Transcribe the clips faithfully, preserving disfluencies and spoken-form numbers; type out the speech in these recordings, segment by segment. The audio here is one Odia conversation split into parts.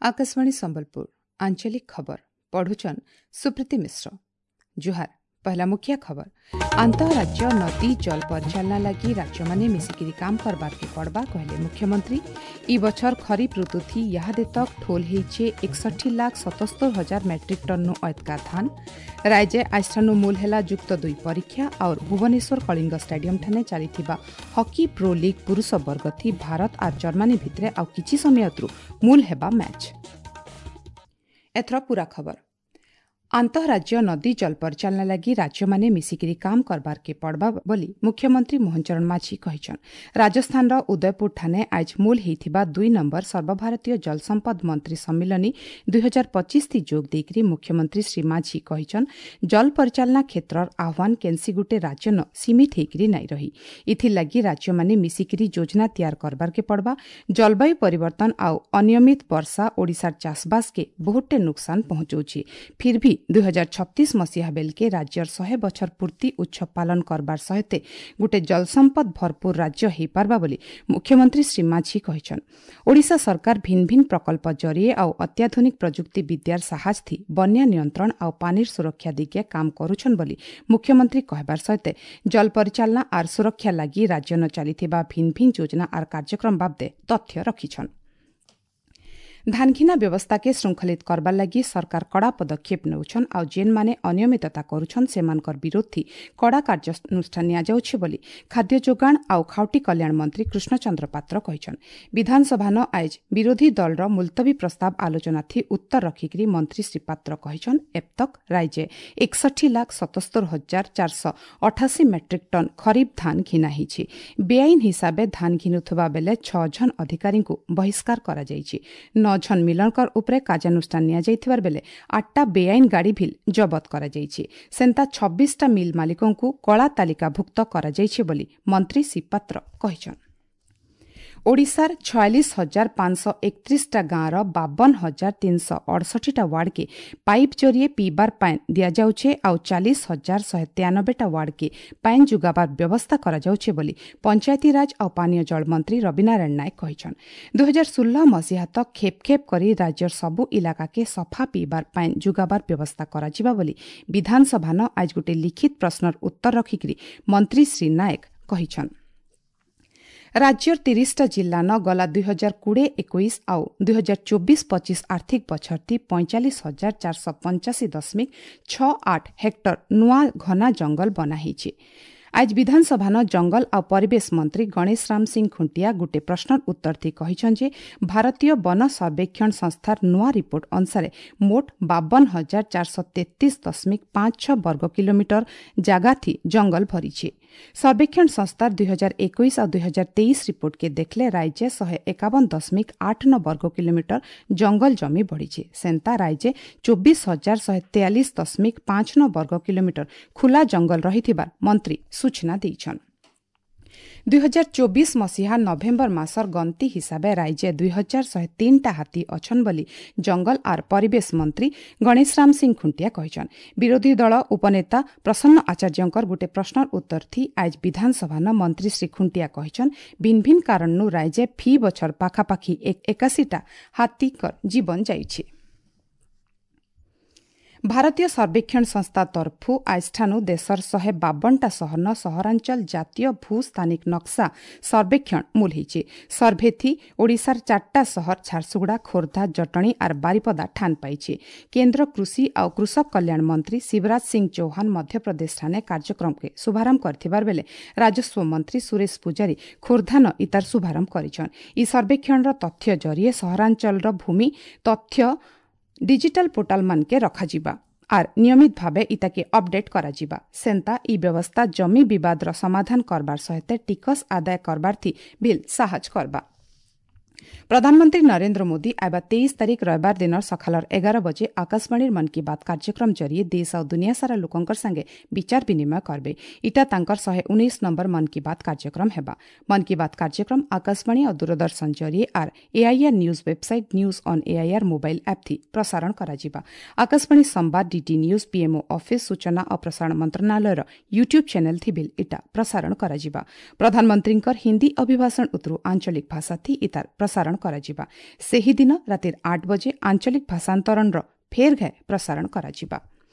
ଆକାଶବାଣୀ ସମ୍ବଲପୁର ଆଞ୍ଚଳିକ ଖବର ପଢୁଛନ୍ ସୁପ୍ରୀତି ମିଶ୍ର ଜୁହାର ପହଲା ମୁଖ୍ୟ ଖବର ଆନ୍ତଃରାଜ୍ୟ ନଦୀ ଜଳ ପରିଚାଳନା ଲାଗି ରାଜ୍ୟମାନେ ମିଶିକିରି କାମ କରବାର୍କେ ପଡ଼ବା କହିଲେ ମୁଖ୍ୟମନ୍ତ୍ରୀ ଇ ବଛର ଖରିଫ ଋତୁଥି ଇହାଦେ ତକ୍ ଠୋଲ ହେଇଛେ ଏକଷଠି ଲାଖ ସତସ୍ତର ହଜାର ମେଟ୍ରିକ୍ ଟନ୍ନୁ ଅଏତକା ଧାନ ରାଜ୍ୟ ଆଜଠାନୁ ମୂଲ ହେଲା ଯୁକ୍ତ ଦୁଇ ପରୀକ୍ଷା और ଭୁବନେଶ୍ୱର କଳିଙ୍ଗ ଷ୍ଟାଡିୟମ ଠାନେ ଚାଲିଥିବା ହକି ପ୍ରୋ ଲିଗ୍ ପୁରୁଷ ବର୍ଗଥି ଭାରତ ଆର୍ ଜର୍ମାନୀ ଭିତରେ ଆଉ କିଛି ସମୟ ମୂଲ ହେବା ମ୍ୟାଚ୍ ଏଥର ପୂରା ଖବର ଆନ୍ତଃରାଜ୍ୟ ନଦୀ ଜଳ ପରିଚାଳନା ଲାଗି ରାଜ୍ୟମାନେ ମିଶିକିରି କାମ କରବାର୍କେ ପଡ଼ବା ବୋଲି ମୁଖ୍ୟମନ୍ତ୍ରୀ ମୋହନ ଚରଣ ମାଝୀ କହିଛନ୍ ରାଜସ୍ଥାନର ଉଦୟପୁର ଠାନେ ଆଜ ମୂଲ ହେଇଥିବା ଦୁଇ ନମ୍ବର ସର୍ବଭାରତୀୟ ଜଳସମ୍ପଦ ମନ୍ତ୍ରୀ ସମ୍ମିଳନୀ ଦୁଇ ହଜାର ପଚିଶ ଥି ଯୋଗ ଦେଇକରି ମୁଖ୍ୟମନ୍ତ୍ରୀ ଶ୍ରୀ ମାଝୀ କହିଛନ୍ ଜଳ ପରିଚାଳନା କ୍ଷେତ୍ରର ଆହ୍ୱାନ କେନ୍ସି ଗୁଟେ ରାଜ୍ୟନ ସୀମିତ ହେଇକରି ନାଇଁ ରହି ଇଥିର୍ଲାଗି ରାଜ୍ୟମାନେ ମିଶିକିରି ଯୋଜନା ତିଆର କରବାର୍କେ ପଡ଼ବା ଜଳବାୟୁ ପରିବର୍ତ୍ତନ ଆଉ ଅନିୟମିତ ବର୍ଷା ଓଡ଼ିଶାର ଚାଷବାସକେ ବହୁତଟେ ନୁକସାନ ପହଞ୍ଚଉଛି ଫିର୍ ଭି ଦୁଇ ହଜାର ଛତିଶ ମସିହା ବେଲକେ ରାଜ୍ୟର ଶହେ ବଛର ପୂର୍ତ୍ତି ଉତ୍ସବ ପାଳନ କରବାର ସହିତ ଗୋଟେ ଜଳସମ୍ପଦ ଭରପୁର ରାଜ୍ୟ ହେଇପାରବା ବୋଲି ମୁଖ୍ୟମନ୍ତ୍ରୀ ଶ୍ରୀ ମାଝୀ କହିଛନ୍ ଓଡ଼ିଶା ସରକାର ଭିନ୍ନ ଭିନ୍ନ ପ୍ରକଳ୍ପ ଜରିଏ ଆଉ ଅତ୍ୟାଧୁନିକ ପ୍ରଯୁକ୍ତି ବିଦ୍ୟାର ସାହାଯ୍ୟ ବନ୍ୟା ନିୟନ୍ତ୍ରଣ ଆଉ ପାନିର ସୁରକ୍ଷା ଦିଗେ କାମ କରୁଛନ୍ ବୋଲି ମୁଖ୍ୟମନ୍ତ୍ରୀ କହିବାର ସହିତ ଜଳ ପରିଚାଳନା ଆର୍ ସୁରକ୍ଷା ଲାଗି ରାଜ୍ୟନ ଚାଲିଥିବା ଭିନ୍ନ ଭିନ୍ନ ଯୋଜନା ଆର୍ କାର୍ଯ୍ୟକ୍ରମ ବାବଦେ ତଥ୍ୟ ରଖିଛନ୍ ଧାନଘିନା ବ୍ୟବସ୍ଥାକେ ଶୃଙ୍ଖଳିତ କରବାର୍ ଲାଗି ସରକାର କଡ଼ା ପଦକ୍ଷେପ ନେଉଛନ୍ ଆଉ ଯେନ୍ମାନେ ଅନିୟମିତତା କରୁଛନ୍ ସେମାନଙ୍କର ବିରୋଧୀ କଡ଼ା କାର୍ଯ୍ୟାନୁଷ୍ଠାନ ନିଆଯାଉଛି ବୋଲି ଖାଦ୍ୟ ଯୋଗାଣ ଆଉ ଖାଉଟି କଲ୍ୟାଣ ମନ୍ତ୍ରୀ କୃଷ୍ଣଚନ୍ଦ୍ର ପାତ୍ର କହିଛନ୍ ବିଧାନସଭାନ ଆଏଜ ବିରୋଧୀ ଦଳର ମୁଲତବୀ ପ୍ରସ୍ତାବ ଆଲୋଚନାଥି ଉତ୍ତର ରଖିକିରି ମନ୍ତ୍ରୀ ଶ୍ରୀ ପାତ୍ର କହିଛନ୍ ଏବତକ୍ ରାଜ୍ୟେ ଏକଷଠି ଲାଖ ସତସ୍ତର ହଜାର ଚାରିଶହ ଅଠାଅଶୀ ମେଟ୍ରିକ୍ ଟନ୍ ଖରିଫ ଧାନ ଘିନା ହେଇଛି ବେଆଇନ ହିସାବେ ଧାନ ଘିନୁଥିବା ବେଲେ ଛଅ ଜଣ ଅଧିକାରୀଙ୍କୁ ବହିଷ୍କାର କରାଯାଇଛି ନଅ ଜଣ ମିଲରଙ୍କର ଉପରେ କାର୍ଯ୍ୟାନୁଷ୍ଠାନ ନିଆଯାଇଥିବାର ବେଲେ ଆଠଟା ବେଆଇନ ଗାଡ଼ି ଭିଲ୍ ଜବତ କରାଯାଇଛି ସେନ୍ତା ଛବିଶଟା ମିଲ୍ ମାଲିକଙ୍କୁ କଳା ତାଲିକାଭୁକ୍ତ କରାଯାଇଛି ବୋଲି ମନ୍ତ୍ରୀ ଶ୍ରୀ ପାତ୍ର କହିଛନ୍ ଓଡ଼ିଶାର ଛୟାଳିଶ ହଜାର ପାଞ୍ଚଶହ ଏକତିରିଶଟା ଗାଁର ବାବନ ହଜାର ତିନିଶହ ଅଡ଼ଷଠିଟା ୱାର୍ଡକେ ପାଇପ୍ ଜରିଏ ପିଇବାର ପାଏନ୍ ଦିଆଯାଉଛେ ଆଉ ଚାଳିଶ ହଜାର ଶହେ ତେୟାନବେଟା ୱାର୍ଡକେ ପାଏନ୍ ଯୋଗାବାର ବ୍ୟବସ୍ଥା କରାଯାଉଛେ ବୋଲି ପଞ୍ଚାୟତିରାଜ ଆଉ ପାନୀୟ ଜଳ ମନ୍ତ୍ରୀ ରବିନାରାୟଣ ନାୟକ କହିଛନ୍ ଦୁଇ ହଜାର ଷୋହଳ ମସିହା ତକ୍ ଖେପ୍ ଖେପ୍ କରି ରାଜ୍ୟର ସବୁ ଇଲାକାକେ ସଫା ପିଇବାର ପାଏନ୍ ଯୋଗାବାର ବ୍ୟବସ୍ଥା କରାଯିବା ବୋଲି ବିଧାନସଭାନ ଆଜ ଗୋଟେ ଲିଖିତ ପ୍ରଶ୍ନର ଉତ୍ତର ରଖିକିରି ମନ୍ତ୍ରୀ ଶ୍ରୀ ନାୟକ କହିଛନ୍ ରାଜ୍ୟର ତିରିଶଟା ଜିଲ୍ଲାନ ଗଲା ଦୁଇ ହଜାର କୋଡ଼ିଏ ଏକୋଇଶ ଆଉ ଦୁଇ ହଜାର ଚବିଶ ପଚିଶ ଆର୍ଥିକ ବଛରଥି ପଇଁଚାଳିଶ ହଜାର ଚାରିଶହ ପଞ୍ଚାଅଶୀ ଦଶମିକ ଛଅ ଆଠ ହେକ୍ଟର ନୂଆ ଘନା ଜଙ୍ଗଲ ବନା ହେଇଛି ଆଜ ବିଧାନସଭାନ ଜଙ୍ଗଲ ଆଉ ପରିବେଶ ମନ୍ତ୍ରୀ ଗଣେଶ ରାମ ସିଂ ଖୁଣ୍ଟିଆ ଗୋଟେ ପ୍ରଶ୍ନର ଉତ୍ତର ଥି କହିଛନ୍ ଯେ ଭାରତୀୟ ବନ ସର୍ବେକ୍ଷଣ ସଂସ୍ଥାର ନୂଆ ରିପୋର୍ଟ ଅନୁସାରେ ମୋଟ ବାବନ ହଜାର ଚାରିଶହ ତେତିଶ ଦଶମିକ ପାଞ୍ଚ ଛଅ ବର୍ଗ କିଲୋମିଟର ଜାଗାଥି ଜଙ୍ଗଲ ଭରିଛି ସର୍ବେକ୍ଷଣ ସଂସ୍ଥାର ଦୁଇ ହଜାର ଏକୋଇଶ ଆଉ ଦୁଇ ହଜାର ତେଇଶ ରିପୋର୍ଟକେ ଦେଖିଲେ ରାଜ୍ୟ ଶହେ ଏକାବନ ଦଶମିକ ଆଠ ନଅ ବର୍ଗ କିଲୋମିଟର ଜଙ୍ଗଲ ଜମି ବଢ଼ିଛି ସେନ୍ତା ରାଜ୍ୟ ଚବିଶ ହଜାର ଶହେ ତେୟାଳିଶ ଦଶମିକ ପାଞ୍ଚ ନଅ ବର୍ଗ କିଲୋମିଟର ଖୋଲା ଜଙ୍ଗଲ ରହିଥିବାର ମନ୍ତ୍ରୀ ସୂଚନା ଦେଇଛନ୍ ଦୁଇ ହଜାର ଚବିଶ ମସିହା ନଭେମ୍ବର ମାସର ଗଣତି ହିସାବେ ରାଜ୍ୟ ଦୁଇ ହଜାର ଶହେ ତିନିଟା ହାତୀ ଅଛନ୍ ବୋଲି ଜଙ୍ଗଲ ଆର୍ ପରିବେଶ ମନ୍ତ୍ରୀ ଗଣେଶ ରାମ ସିଂ ଖୁଣ୍ଟିଆ କହିଛନ୍ ବିରୋଧୀ ଦଳ ଉପନେତା ପ୍ରସନ୍ନ ଆଚାର୍ଯ୍ୟଙ୍କର ଗୋଟେ ପ୍ରଶ୍ନର ଉତ୍ତର ଥି ଆଜ ବିଧାନସଭାନ ମନ୍ତ୍ରୀ ଶ୍ରୀ ଖୁଣ୍ଟିଆ କହିଛନ୍ ଭିନ୍ନ ଭିନ୍ନ କାରଣରୁ ରାଜ୍ୟ ଫି ବଛର ପାଖାପାଖି ଏକାଶୀଟା ହାତୀଙ୍କର ଜୀବନ ଯାଇଛି ଭାରତୀୟ ସର୍ବେକ୍ଷଣ ସଂସ୍ଥା ତରଫୁ ଆଜଠାନୁ ଦେଶର ଶହେ ବାବନଟା ସହରନ ସହରାଞ୍ଚଳ ଜାତୀୟ ଭୂସ୍ଥାନିକ ନକ୍ସା ସର୍ବେକ୍ଷଣ ମୂଲ ହେଇଛି ସର୍ଭେଥି ଓଡ଼ିଶାର ଚାରିଟା ସହର ଝାରସୁଗୁଡ଼ା ଖୋର୍ଦ୍ଧା ଜଟଣୀ ଆର୍ ବାରିପଦା ଠାନ ପାଇଛି କେନ୍ଦ୍ର କୃଷି ଆଉ କୃଷକ କଲ୍ୟାଣ ମନ୍ତ୍ରୀ ଶିବରାଜ ସିଂ ଚୌହାନ ମଧ୍ୟପ୍ରଦେଶ ଠାନେ କାର୍ଯ୍ୟକ୍ରମକେ ଶୁଭାରମ୍ଭ କରିଥିବାର ବେଲେ ରାଜସ୍ୱ ମନ୍ତ୍ରୀ ସୁରେଶ ପୂଜାରୀ ଖୋର୍ଦ୍ଧାନ ଇତାର ଶୁଭାରମ୍ଭ କରିଛନ୍ ଇ ସର୍ବେକ୍ଷଣର ତଥ୍ୟ ଜରିଏ ସହରାଞ୍ଚଳର ଭୂମି ତଥ୍ୟ ଡିଜିଟାଲ ପୋର୍ଟାଲ ମାନକେ ରଖାଯିବା ଆର୍ ନିୟମିତ ଭାବେ ଇତାକେ ଅପଡେଟ୍ କରାଯିବା ସେନ୍ତା ଇ ବ୍ୟବସ୍ଥା ଜମି ବିବାଦର ସମାଧାନ କରବାର ସହିତ ଟିକସ ଆଦାୟ କରବାର୍ଥି ବିଲ୍ ସାହାଯ୍ୟ କରବା ପ୍ରଧାନମନ୍ତ୍ରୀ ନରେନ୍ଦ୍ର ମୋଦି ଆଇବା ତେଇଶ ତାରିଖ ରବିବାର ଦିନ ସକାଳର ଏଗାର ବଜେ ଆକାଶବାଣୀର ମନ୍ କି ବାତ୍ କାର୍ଯ୍ୟକ୍ରମ ଜରିଏ ଦେଶ ଆଉ ଦୁନିଆ ସାରା ଲୋକଙ୍କର ସାଙ୍ଗେ ବିଚାର ବିନିମୟ କରବେ ଇଟା ତାଙ୍କର ଶହେ ଉଣେଇଶ ନମ୍ବର ମନ୍ କି ବାତ୍ କାର୍ଯ୍ୟକ୍ରମ ହେବା ମନ୍ କି ବାତ୍ କାର୍ଯ୍ୟକ୍ରମ ଆକାଶବାଣୀ ଆଉ ଦୂରଦର୍ଶନ ଜରିଏ ଆର୍ AIR news website news on AIR mobile app ଥି ପ୍ରସାରଣ କରାଯିବା ଆକାଶବାଣୀ ସମ୍ବାଦ ଡିଡି ନ୍ୟୁଜ୍ ପିଏମ୍ଓ ଅଫିସ୍ ସୂଚନା ଓ ପ୍ରସାରଣ ମନ୍ତ୍ରଣାଳୟର ୟୁଟ୍ୟୁବ୍ ଚ୍ୟାନେଲ୍ ଥି ବିଲ୍ ଇଟା ପ୍ରସାରଣ କରାଯିବା ପ୍ରଧାନମନ୍ତ୍ରୀଙ୍କର ହିନ୍ଦୀ ଅଭିଭାଷଣ ଉତରୁ ଆଞ୍ଚଳିକ ଭାଷା ଥି ଇତାର ପ୍ରସାରଣ ପ୍ରସାରଣ କରାଯିବା। ସେହିଦିନ ରାତିର ଆଠ ବଜେ ଆଞ୍ଚଳିକ ଭାଷାନ୍ତରଣର ଫେର୍ ଘାଏ ପ୍ରସାରଣ କରାଯିବା।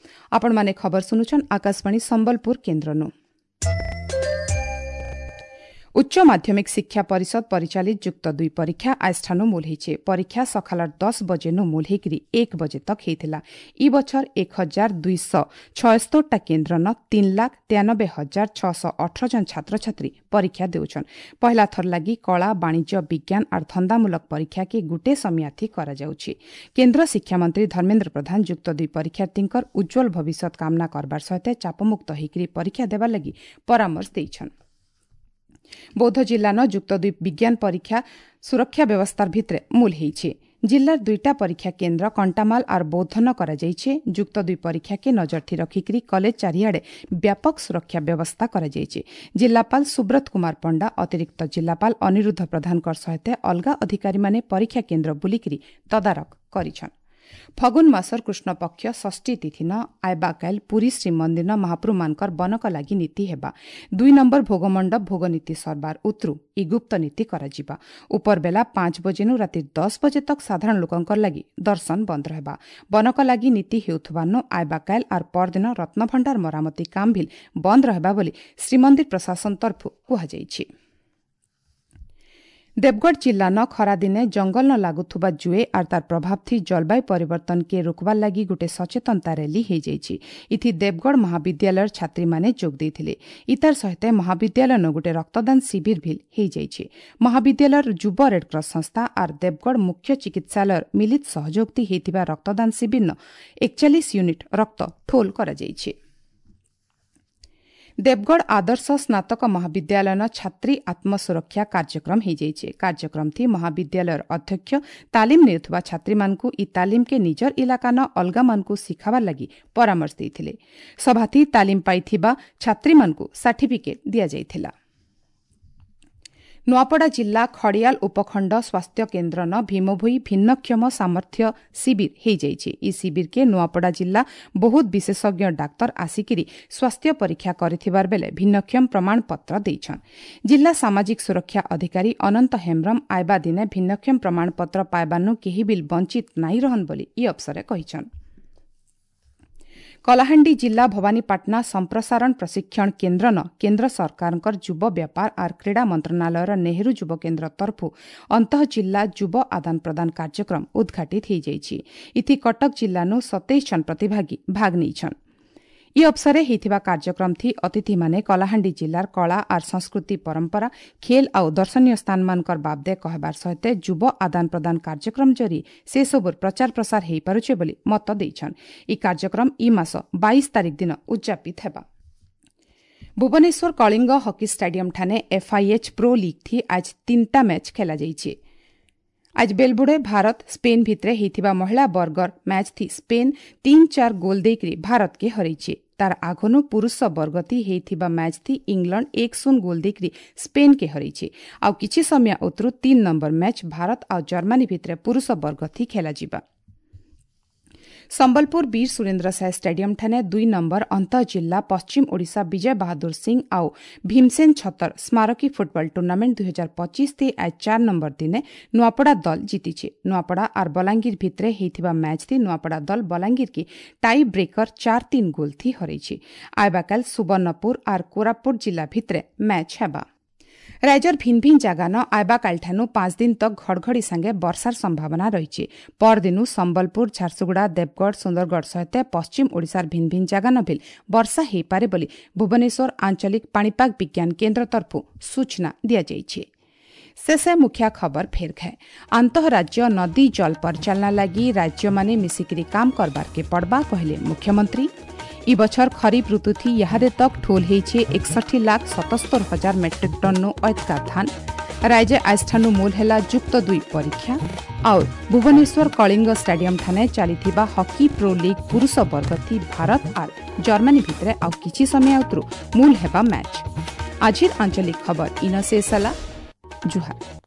ଆପଣମାନେ ଖବର ଶୁଣୁଛନ୍ ଆକାଶବାଣୀ ସମ୍ବଲପୁର କେନ୍ଦ୍ରନୁ। ଉଚ୍ଚ ମାଧ୍ୟମିକ ଶିକ୍ଷା ପରିଷଦ ପରିଚାଳିତ ଯୁକ୍ତ ଦୁଇ ପରୀକ୍ଷା ଆଜଠାନୁ ମୂଲ ହେଇଛେ। ପରୀକ୍ଷା ସକାଳର ଦଶ ବଜେନୁ ମୂଲ ହେଇକରି ଏକ ବଜେ ତକ୍ ହେଇଥିଲା। ଇ ବଛର ଏକ ହଜାର ଦୁଇଶହ ଛୟସ୍ତରଟା କେନ୍ଦ୍ରନ ତିନି ଲାଖ ତେୟାନବେ ହଜାର ଛଅଶହ ଅଠର ଜଣ ଛାତ୍ରଛାତ୍ରୀ ପରୀକ୍ଷା ଦେଉଛନ୍। ପହିଲା ଥର ଲାଗି କଳା, ବାଣିଜ୍ୟ, ବିଜ୍ଞାନ ଆର୍ ଧନ୍ଦାମୂଳକ ପରୀକ୍ଷାକେ ଗୁଟେ ସମିଆଥି କରାଯାଉଛି। କେନ୍ଦ୍ର ଶିକ୍ଷାମନ୍ତ୍ରୀ ଧର୍ମେନ୍ଦ୍ର ପ୍ରଧାନ ଯୁକ୍ତ ଦୁଇ ପରୀକ୍ଷାର୍ଥୀଙ୍କର ଉଜ୍ଜ୍ୱଳ ଭବିଷ୍ୟତ କାମନା କରବାର ସହିତ ଚାପମୁକ୍ତ ହେଇକରି ପରୀକ୍ଷା ଦେବାର ଲାଗି ପରାମର୍ଶ ଦେଇଛନ୍। ବୌଦ୍ଧ ଜିଲ୍ଲାନ ଯୁକ୍ତ ଦୁଇ ବିଜ୍ଞାନ ପରୀକ୍ଷା ସୁରକ୍ଷା ବ୍ୟବସ୍ଥାର ଭିତରେ ମୂଲ ହେଇଛେ। ଜିଲ୍ଲାର ଦୁଇଟା ପରୀକ୍ଷା କେନ୍ଦ୍ର କଣ୍ଟାମାଲ ଆର୍ ବୌଦ୍ଧନ କରାଯାଇଛେ। ଯୁକ୍ତ ଦୁଇ ପରୀକ୍ଷାକେ ନଜରଥି ରଖିକରି କଲେଜ ଚାରିଆଡ଼େ ବ୍ୟାପକ ସୁରକ୍ଷା ବ୍ୟବସ୍ଥା କରାଯାଇଛେ। ଜିଲ୍ଲାପାଳ ସୁବ୍ରତ କୁମାର ପଣ୍ଡା, ଅତିରିକ୍ତ ଜିଲ୍ଲାପାଳ ଅନିରୁଦ୍ଧ ପ୍ରଧାନଙ୍କ ସହିତ ଅଲଗା ଅଧିକାରୀମାନେ ପରୀକ୍ଷା କେନ୍ଦ୍ର ବୁଲିକରି ତଦାରଖ କରିଛନ୍। ଫଗୁନ୍ ମାସର କୃଷ୍ଣପକ୍ଷ ଷଷ୍ଠୀ ତିଥିନ ଆଇବାକାଇଲ ପୁରୀ ଶ୍ରୀମନ୍ଦିର ମହାପ୍ରଭୁମାନଙ୍କର ବନକ ଲାଗି ନୀତି ହେବା। ଦୁଇ ନମ୍ବର ଭୋଗମଣ୍ଡପ ଭୋଗ ନୀତି ସରବାର ଉତରୁ ଇ ଗୁପ୍ତ ନୀତି କରାଯିବା। ଉପରବେଲା ପାଞ୍ଚ ବଜେନୁ ରାତି ଦଶ ବଜେ ତକ୍ ସାଧାରଣ ଲୋକଙ୍କର ଲାଗି ଦର୍ଶନ ବନ୍ଦ ରହିବା। ବନକ ଲାଗି ନୀତି ହେଉଥିବାନୁ ଆଇବାକାଇଲ ଆର୍ ପରଦିନ ରତ୍ନଭଣ୍ଡାର ମରାମତି କାମ ଭିଲ୍ ବନ୍ଦ ରହିବା ବୋଲି ଶ୍ରୀମନ୍ଦିର ପ୍ରଶାସନ ତରଫରୁ କୁହାଯାଇଛି। ଦେବଗଡ଼ ଜିଲ୍ଲାନ ଖରାଦିନେ ଜଙ୍ଗଲ ନ ଲାଗୁଥିବା ଜୁଏ ଆର୍ ତାର ପ୍ରଭାବ ଥି ଜଳବାୟୁ ପରିବର୍ତ୍ତନକେ ରୋକବାର ଲାଗି ଗୋଟେ ସଚେତନତା ର୍ୟାଲି ହେଇଯାଇଛି। ଇଥି ଦେବଗଡ଼ ମହାବିଦ୍ୟାଳୟର ଛାତ୍ରୀମାନେ ଯୋଗ ଦେଇଥିଲେ। ଇତାର ସହିତ ମହାବିଦ୍ୟାଳୟନ ଗୋଟେ ରକ୍ତଦାନ ଶିବିର ଭିଲ୍ ହେଇଯାଇଛି। ମହାବିଦ୍ୟାଳୟର ଯୁବ ରେଡକ୍ରସ ସଂସ୍ଥା ଆର୍ ଦେବଗଡ଼ ମୁଖ୍ୟ ଚିକିତ୍ସାଳୟର ମିଳିତ ସହଯୋଗ ଥି ହେଇଥିବା ରକ୍ତଦାନ ଶିବିରନ ଏକଚାଳିଶ ୟୁନିଟ୍ ରକ୍ତ ଠୋଲ କରାଯାଇଛି। ଦେବଗଡ଼ ଆଦର୍ଶ ସ୍ନାତକ ମହାବିଦ୍ୟାଳୟନ ଛାତ୍ରୀ ଆତ୍ମସୁରକ୍ଷା କାର୍ଯ୍ୟକ୍ରମ ହେଇଯାଇଛି। କାର୍ଯ୍ୟକ୍ରମ ଥି ମହାବିଦ୍ୟାଳୟର ଅଧ୍ୟକ୍ଷ ତାଲିମ ନେଉଥିବା ଛାତ୍ରୀମାନଙ୍କୁ ଇ ତାଲିମକେ ନିଜର ଇଲାକାନ ଅଲଗାମାନଙ୍କୁ ଶିଖାବାର ଲାଗି ପରାମର୍ଶ ଦେଇଥିଲେ। ସଭାଥି ତାଲିମ ପାଇଥିବା ଛାତ୍ରୀମାନଙ୍କୁ ସାର୍ଟିଫିକେଟ୍ ଦିଆଯାଇଥିଲା। ନୂଆପଡ଼ା ଜିଲ୍ଲା ଖଡ଼ିଆଲ ଉପଖଣ୍ଡ ସ୍ୱାସ୍ଥ୍ୟ କେନ୍ଦ୍ରନ ଭୀମଭୋଇ ଭିନ୍ନକ୍ଷମ ସାମର୍ଥ୍ୟ ଶିବିର ହେଇଯାଇଛି। ଇ ଶିବିରକେ ନୂଆପଡ଼ା ଜିଲ୍ଲା ବହୁତ ବିଶେଷଜ୍ଞ ଡାକ୍ତର ଆସିକିରି ସ୍ୱାସ୍ଥ୍ୟ ପରୀକ୍ଷା କରିଥିବାର ବେଲେ ଭିନ୍ନକ୍ଷମ ପ୍ରମାଣପତ୍ର ଦେଇଛନ୍। ଜିଲ୍ଲା ସାମାଜିକ ସୁରକ୍ଷା ଅଧିକାରୀ ଅନନ୍ତ ହେମ୍ବ୍ରମ ଆଇବା ଦିନେ ଭିନ୍ନକ୍ଷମ ପ୍ରମାଣପତ୍ର ପାଇବାନୁ କେହି ବିଲ୍ ବଞ୍ଚିତ ନାଇଁ ରହନ୍ ବୋଲି ଇ ଅବସରେ କହିଛନ୍। କଳାହାଣ୍ଡି ଜିଲ୍ଲା ଭବାନୀପାଟଣା ସମ୍ପ୍ରସାରଣ ପ୍ରଶିକ୍ଷଣ କେନ୍ଦ୍ରନ କେନ୍ଦ୍ର ସରକାରଙ୍କର ଯୁବ ବ୍ୟାପାର ଆର୍ କ୍ରୀଡ଼ା ମନ୍ତ୍ରଣାଳୟର ନେହେରୁ ଯୁବ କେନ୍ଦ୍ର ତରଫରୁ ଅନ୍ତଃ ଜିଲ୍ଲା ଯୁବ ଆଦାନ ପ୍ରଦାନ କାର୍ଯ୍ୟକ୍ରମ ଉଦ୍ଘାଟିତ ହୋଇଯାଇଛି। ଇଥି କଟକ ଜିଲ୍ଲାନୁ ସତେଇଶ ଜଣ ପ୍ରତିଭାଗୀ ଭାଗ ନେଇଛନ୍। ଇ ଅବସରେ ହେଇଥିବା କାର୍ଯ୍ୟକ୍ରମ ଥି ଅତିଥିମାନେ କଳାହାଣ୍ଡି ଜିଲ୍ଲାର କଳା ଆର୍ ସଂସ୍କୃତି ପରମ୍ପରା, ଖେଲ ଆଉ ଦର୍ଶନୀୟ ସ୍ଥାନମାନଙ୍କର ବାବଦେ କହିବାର ସହିତ ଯୁବ ଆଦାନ ପ୍ରଦାନ କାର୍ଯ୍ୟକ୍ରମ ଜରି ସେସବୁର ପ୍ରଚାର ପ୍ରସାର ହେଇପାରୁଛେ ବୋଲି ମତ ଦେଇଛନ୍। ଇ କାର୍ଯ୍ୟକ୍ରମ ଇ ମାସ ବାଇଶ ତାରିଖ ଦିନ ଉଦ୍ଯାପିତ ହେବା। ଭୁବନେଶ୍ୱର କଳିଙ୍ଗ ହକି ଷ୍ଟାଡିୟମ ଠାନେ ଏଫ୍ଆଇଏଚ୍ ପ୍ରୋ ଲିଗ୍ ଥି ଆଜ ତିନିଟା ମ୍ୟାଚ୍ ଖେଳାଯାଇଛି। ଆଜ ବେଲବୁଡ଼େ ଭାରତ ସ୍ପେନ୍ ଭିତରେ ହେଇଥିବା ମହିଳା ବର୍ଗର ମ୍ୟାଚ୍ ଥି ସ୍ପେନ୍ ତିନି ଚାର ଗୋଲ ଦେଇକରି ଭାରତକେ ହରେଇছে। ତାର ଆଘନୁ ପୁରୁଷ ବର୍ଗତି ହେଇଥିବା ମ୍ୟାଚ୍ ଥି ଇଂଲଣ୍ଡ ଏକ ଶୂନ ଗୋଲ ଦେଇକରି ସ୍ପେନ୍କେ ହରେଇছে। ଆଉ କିଛି ସମୟ ଉତରୁ ତିନି ନମ୍ବର ମ୍ୟାଚ୍ ଭାରତ ଆଉ ଜର୍ମାନୀ ଭିତରେ ପୁରୁଷ ବର୍ଗ ଥି ଖେଳାଯିବା। ସମ୍ବଲପୁର ବୀର ସୁରେନ୍ଦ୍ର ସାଏ ଷ୍ଟାଡିୟମ ଠାନେ ଦୁଇ ନମ୍ବର ଅନ୍ତଃ ଜିଲ୍ଲା ପଶ୍ଚିମ ଓଡ଼ିଶା ବିଜୟ ବାହାଦୁର ସିଂ ଆଉ ଭୀମସେନ ଛତର ସ୍ମାରକୀ ଫୁଟବଲ ଟୁର୍ଣ୍ଣାମେଣ୍ଟ ଦୁଇ ହଜାର ପଚିଶ ଥି ଆଜ ଚାର ନମ୍ବର ଦିନେ ନୂଆପଡ଼ା ଦଲ ଜିତିছে। ନୂଆପଡ଼ା ଆର୍ ବଲାଙ୍ଗୀର ଭିତରେ ହେଇଥିବା ମ୍ୟାଚ୍ ଥି ନୂଆପଡ଼ା ଦଲ ବଲାଙ୍ଗୀରକେ ଟାଇ ବ୍ରେକର ଚାର ତିନ ଗୋଲ ଥି ହରେଇছে। ଆଇବାକାଲ ସୁବର୍ଣ୍ଣପୁର ଆର୍ କୋରାପୁଟ ଜିଲ୍ଲା ଭିତରେ ମ୍ୟାଚ୍ ହେବା। ରାଜ୍ୟର ଭିନ୍ ଭିନ୍ ଜାଗାନ ଆଇବାକାଲିଠାନୁ ପାଞ୍ଚ ଦିନ ତକ୍ ଘଡ଼ଘଡ଼ି ସାଙ୍ଗେ ବର୍ଷାର ସମ୍ଭାବନା ରହିଛି। ପରଦିନୁ ସମ୍ବଲପୁର, ଝାରସୁଗୁଡ଼ା, ଦେବଗଡ଼, ସୁନ୍ଦରଗଡ଼ ସହିତ ପଶ୍ଚିମ ଓଡ଼ିଶାର ଭିନ୍ ଭିନ୍ ଜାଗାନ ଭିଲ୍ ବର୍ଷା ହୋଇପାରେ ବୋଲି ଭୁବନେଶ୍ୱର ଆଞ୍ଚଳିକ ପାଣିପାଗ ବିଜ୍ଞାନ କେନ୍ଦ୍ର ତରଫରୁ ସୂଚନା ଦିଆଯାଇଛି। ଶେଷ ମୁଖ୍ୟ ଖବର ଫେର ଘାଏ। ଆନ୍ତଃରାଜ୍ୟ ନଦୀ ଜଳ ପରିଚାଳନା ଲାଗି ରାଜ୍ୟମାନେ ମିଶିକିରି କାମ କରବାର୍କେ ପଡ଼ବା କହିଲେ ମୁଖ୍ୟମନ୍ତ୍ରୀ। ଇ ବଛର ଖରିଫ ଋତୁଥି ଇହାଦେ ତକ୍ ଠୋଲ ହେଇଛେ ଏକଷଠି ଲାଖ ସତସ୍ତର ହଜାର ମେଟ୍ରିକ୍ ଟନ୍ନୁ ଅଏତକା ଧାନ। ରାଜ୍ୟ ଆଜଠାନୁ ମୂଲ ହେଲା ଯୁକ୍ତ ଦୁଇ ପରୀକ୍ଷା। ଆଉ ଭୁବନେଶ୍ୱର କଳିଙ୍ଗ ଷ୍ଟାଡିୟମ ଠାନେ ଚାଲିଥିବା ହକି ପ୍ରୋ ଲିଗ୍ ପୁରୁଷ ବର୍ଗଥି ଭାରତ ଆର୍ ଜର୍ମାନୀ ଭିତରେ ଆଉ କିଛି ସମୟ ଆଉତରୁ ମୂଲ ହେବା ମ୍ୟାଚ୍। ଆଜିର ଆଞ୍ଚଳିକ ଖବର ଇନ ଶେଷ ହେଲା। ଜୁହାର।